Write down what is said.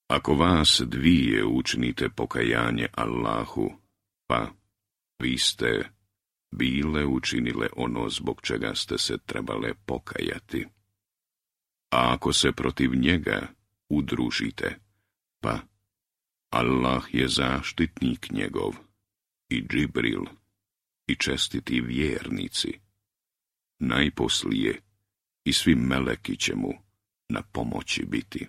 Ako vas dvije učinite pokajanje Allahu, pa vi ste bile učinile ono zbog čega ste se trebale pokajati. A ako se protiv njega udružite, pa Allah je zaštitnik njegov, i Džibril, i čestiti vjernici. Najposlije i svi meleki će mu na pomoći biti.